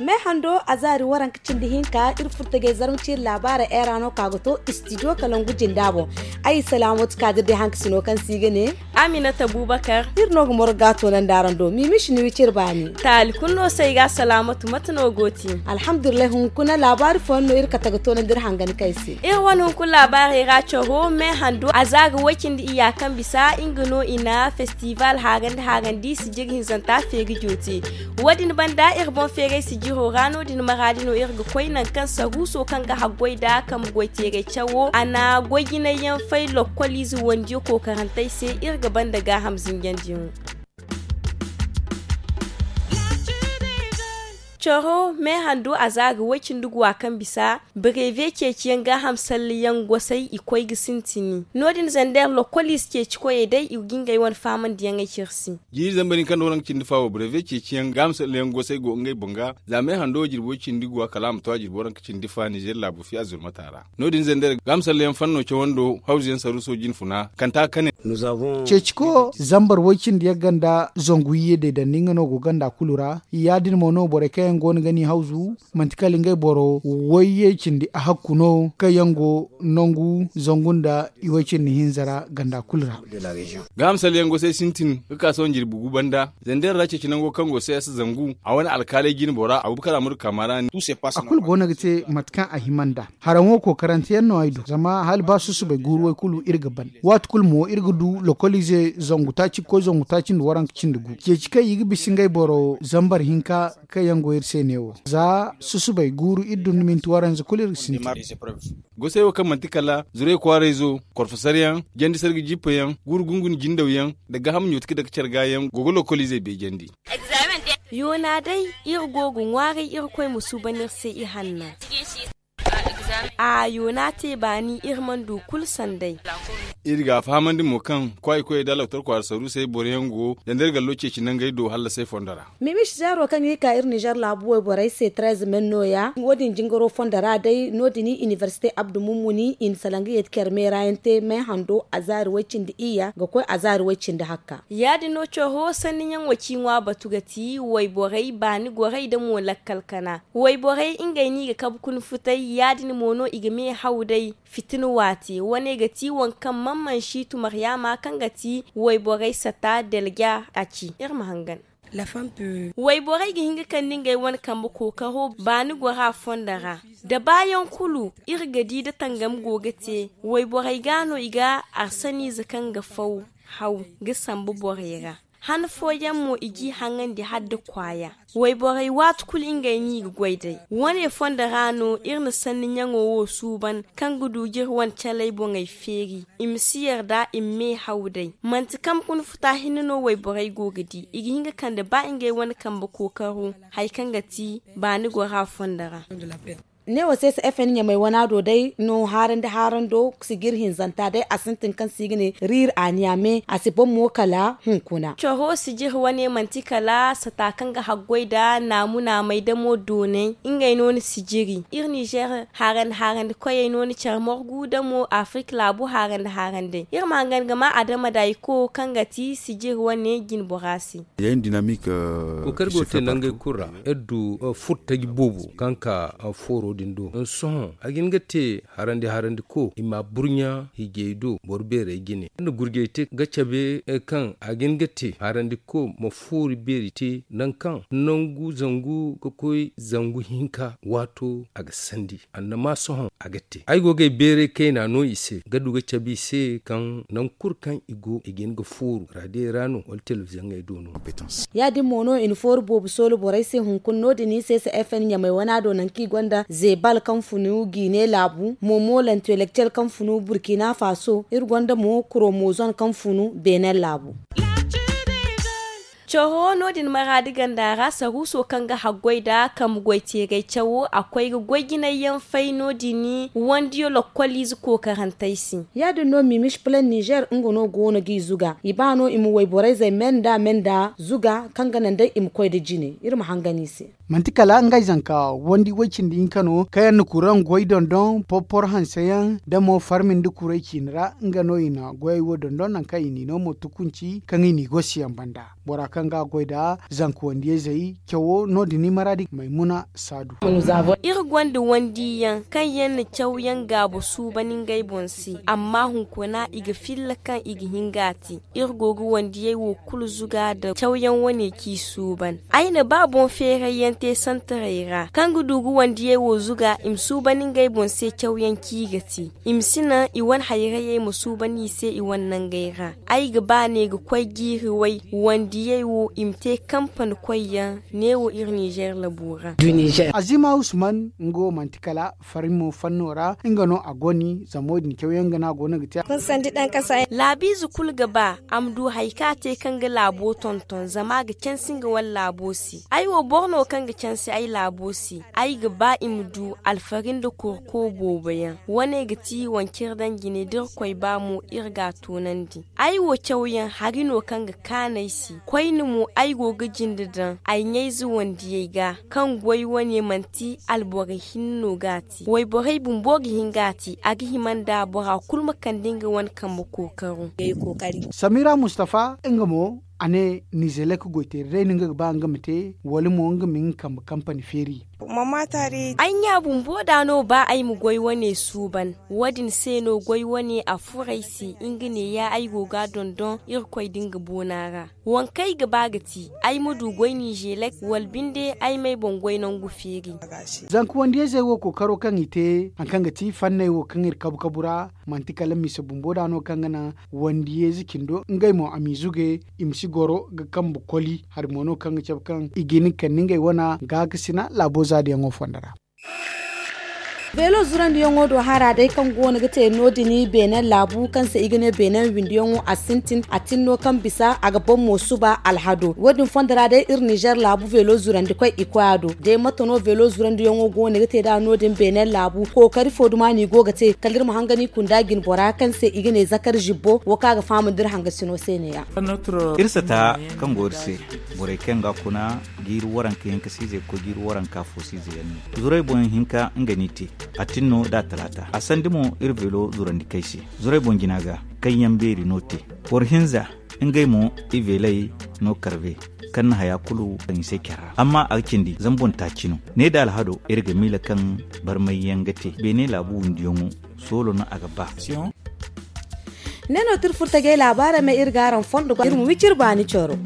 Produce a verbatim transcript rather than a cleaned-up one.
Me hando a zaari waranka cindi hinka iri furtajey zarma ciiri laabaara era no ka ga to istidiyo kalangu jinda boŋ. Ay salaamatu kaadir day hankasino kaŋ se i ga ne. Aminata bubakar. Iri no ga morga toonandi araŋ do mimishi ni wiciri baani. Taali kulu no se i ga salaamatu mate no go ti? Alhamdulillahi hunkuna laabaari fooyaŋ no iri kate ga toonandi iri hangan kay se. Iri wane hunkuna laabaarey ra caro me hando a za ga way cindi iyya kaŋ bisa nga no i na festival haarandi haarandi sijiri hinzanta feeri jooti. Wo- din banda iri boŋ feeray sijiro ra no- din maraadi no iri ga koy nangu kaŋ saruuso kaŋ ga haggoy nda kambe goy teeray cawo a na goy jinay yaŋ fay lokkol ize wandiyo kookarantey se. Iri ga banda gaaham zinjandiyaŋo. Caro me hando a za ga way cindi guwa kaŋ bisa, bareeve ceeciyaŋ gaaham salleyaŋ gosay i koy ga sintini. No- din zander lokkol ize ceeci koyey day i ga ngey wane faamandiyaŋey cire se. Jiiri zambar hinka nda waranka cindi fa wo bareeve ceeciyaŋ gaaham salleyaŋ gosay go ngey boŋ ga. Za me hando jirbi way cindi guwa kala a ma to a jirbi waranka cindi fa nizer laabu fiya zurmata ra. No- din zander gaaham salleyaŋ fanno cawando hawzuyaŋ saruuso jinfuna kanta kane. Ceeciko zambar way cindi yagga nda zangu iyye day dandi nga no go ganda kulu ra. Ya- din mo no borey kaŋ yaŋ go no ga ni hawzu manti kala ngey boro wayye cindi a hakku no kaŋ yaŋ go nangu zangu nda iway cindi hinza ra ganda kulu ra. Gaaham salleyaŋ gosay sintin ga ka sohõ jirbi gu banda zander ra ceeci nango kaŋ go se a si zangu a wane alkaaley jine bora abubakar amadu kaama ra. A kulu go no ga te mate kaŋ a hima nd'a. Haraŋo kookarante yaŋ no ay du zama hala ba susubay guuru way kulu iri ga ban. Waati kulu mo iri ga du lokolize zangu taaci ga koy zangu taaci nda waranka cindi gu ceeci kaŋ i ga bisa ngey boro zambar hinka kaŋ yaŋ go iri se neewo za susubay guuru iri dun nda minti waranza kulu iri ga sintin. Gosey wo kaŋ manti kala zuray kwaarayzo korfosaryaŋ jandi sarga jippayaŋ guuru gunguni jindawyaŋ nda gaaham ɲooti ga dake care ga yaŋ go ga lokoliizey beejandi. Yoona day iri go ga ŋwaaray irkoy ma suuban iri se ihanna. A yoona te baani iri mana du kulu sanday. Iri ga a fahamandi mo kaŋ kwaay koyey da loktor kwaara saruusey boroyaŋ go zanda iri gallo ceeci nangey do hallasey fondo ra. Mimish zeero kaŋ i ka iri nizer laabu wayborey se treze men nooya wo- din jingaro fondo ra day no- din inibersite abdu mummuni i na salaŋ ga yeeti care meera yaŋ te me hando azaari way-cindi iyya ga koy azaari way-cindi hakka. Ya- din no coro sanni ɲaŋo ci ŋwa batu ga ti wayborey baani gorey nda mo lakkal kana. Wayborey ngey no i ga kabe kuna futay ya- din mo no i ga me haw day fitina waate wane ga ti waŋ kaŋ man mansi tu maryaama kaŋ ga ti wayborey sata delja a ci iri ma hangan. Wayborey ga hin ga kande ngey wane kambe kookaro baani gora fondo ra. Da baayaŋ kulu iri ga di da tangam go ga te wayborey ga no i ga arsaniize kaŋ ga faw haw ga sambu borey ra. Han fooyaŋ mo i g'i haŋandi hala da kwaaya. Wayborey waati kulu ngey no i ga goy day. Wane fondo ra no iri na sanni ɲaŋo wo suuban kaŋ ga du ga iri wane caley boŋey feeri i ma si yarda i ma me haw day. Manti kambe kuna futa hinne no wayborey go ga di i ga hin ga kande ba ngey wane kambe kookaro hari kaŋ ga ti baani gora fondo ra. Neewo se se fn ɲamay wana do day no haarandi haarando sijir hinzanta day a sintin kaŋ se i ga ne riir a niyaame a si ban mo kala hunkuna. Coro sijir wane manti kala sata kaŋ ga haggoy nda naamu naamay damo doonay ngey no ni sijiri iri nizer haarandi haarandi koyey no ni care morgu damo afrik laabu haarandi haarandi iri ma hangan ga ma adama da i ko kaŋ ga ti sijir wane jine bora se. Kookari go te nangey kulu ra iri du furtaji boobo kaŋ ka fooro din do sohõ a ga hin ga te harandi harandi ko i ma burɲa hiijay do boro beerey jine iri na gurjay te ga cabe kaŋ a ga hin ga te harandi ko ma foori beeri te nangu kaŋ nangu zangu ga koy zangu hinka waato a ga sandi annama sohõ a ga te ay go ga ay beeray kayna no i se ga du ga cabe i se kaŋ nangu kulu kaŋ i go i ga hin ga fooru raadiyey ra no wala telebiziyoŋey do no. Ya- din mo no i na fooru boobo soolu borey se hunkuna no- din i se se fn ɲamay wana do nangu kaŋ i gonda zebal kaŋ funu jiine laabu momo lentelektel kaŋ funu burkina faso iri gonda mo kuromozon kaŋ funu beenen laabu. Coro no- din maraadi ganda ra saruuso kaŋ ga haggoy nda kambe goy teeray cawo a koy ga goy jinay yaŋ fay no- din wandiyo lokkoliize kookarantey se. Ya- din no mimis plan nizer nga no go no g'i zuga i ba no i ma wayborey zey me nda me nda zuga kaŋ ga naŋ day i ma koy nda jine iri ma hangan i se. Manti kala ngey zanka wandi woy cindi hinka no kaŋ yaŋ na kuraŋ goy dondon porpor hanse yaŋ da mo farmi nda kuray ciine ra nga no i na goyey wo dondon nangu kaŋ i n'i no mo tukunci kaŋ i n'i gosi yaŋ banda. Bora kaŋ ga a goy nda zanka wandiyey zey cawo no- din i maraadi maymuna saadu. Iri gonda wandiyaŋ kaŋ yaŋ na cawyaŋ gaabo suuban ngey boŋ se amma hunkuna i ga filla kaŋ i ga hin ga a te. Iri go ga wandiyey wo kulu zuga nda cawyaŋ wane k'i suuban. Ay na ba boŋ feerayyaŋ te santarey ra kaŋ ga du ga wandiyey wo zuga i ma suuban ngey boŋ se cawyaŋ k'i ga te. I ma si naŋ i wane hayrayey ma suuban i se i wane nangey ra. Ay ga ba ne ga koy jiiri way wandiyey wo i ma te kampani koyyaŋ. Neewo iri nizer labu ra. Azima usman nga wo manti kala farimo fanno ra nga no a goni zamo din cawyaŋ ga no a go no ga te. Laabiize kulu ga ba a ma du hari kaŋ a te kaŋ ga laabo tonton zama a ga cansi nga wane laabo se. Ay wo boro no kaŋ ga cansi ay laabo se. Ay ga ba i ma du alfari nda korko boobo yaŋ. Wane ga ti wanciri daŋ jine da irkoy ba mo iri ga a toonandi. Ay wo cawyaŋ hari no kaŋ ga kaanu ay se. Koyne mo ay go ga jinde daŋ ay ɲayze wandiyey ga kaŋ goy wane manti alboro hinne no ga a te wayborey bumbo ga hin ga a te a ga hima nda bora kulu ma kande nga wane kambe kookaro. Samira mustafa nga mo a ne nizelek goyteeri day no nga ga ba nga ma te wala mo nga ma nga kambe kampani feeri. Ay ɲa bumbo da no ba ay ma goy wane suuban. Wo- din se no goy wane a furo ay se nga ne ya ay go ga a dondon irkoy din ga boona ra. Waŋ kaŋ ay ga ba ga ti ay ma du goy nizelek wala binde ay m'ay boŋ goy nangu feeri. Zanka wandiyey zey wo kookaro kaŋ i te hari kaŋ ga ti fanney wo kaŋ iri kabu kabu ra manti kala mise bumbo da no kaŋ ga naŋ wandiyey ze cindo ngey mo a m'i zuge i ma si goro ga kambe koli hari mo no kaŋ ga cabe kaŋ i ga hin ga kande ngey wana gaakasina laabo zaadiyaŋo fondo ra. Beelo zurandiyaŋo do hara day kaŋ go no ga te no- din beenen laabu kaŋ se i ga ne beenen windiyaŋo a sintin a tin no kaŋ bisa a ga ban mo suba alhado wo- din fondo ra day iri nizer laabu beelo zurandi koy i koy a do day mate no beelo zurandiyaŋo go no ga te nd'a no- din beenen laabu kookari fo duma no i go ga te kala iri ma hangani kunda jinbora kaŋ se i ga ne zakar zibbo wo kaŋ a ga fahamandi iri hangasino se ne- ya. Iri sata kaŋ go iri se borey kaŋ ga kuna jiiri waranka hinka siizey ga koy jiiri waranka fo siizey yaŋ no zurey boŋ hinka nga n'i te a tin no da talaata a sandi mo iri beelo zurandi kay se zurey boŋ jina ga kaŋ yaŋ beeri no te boro hinza ngey mo i beeley no karbe kaŋ na haya kulu kaŋ i se care ra amma a ga cindi zama boŋ taaci no ne da alhado iri ga miila kaŋ barmay yaŋ ga te beene laabu windiyaŋo soolo no a ga ba. Ne no tirfurtajey laabaarey ma iri ga araŋ fondo ga iri ma wiciri baani coro.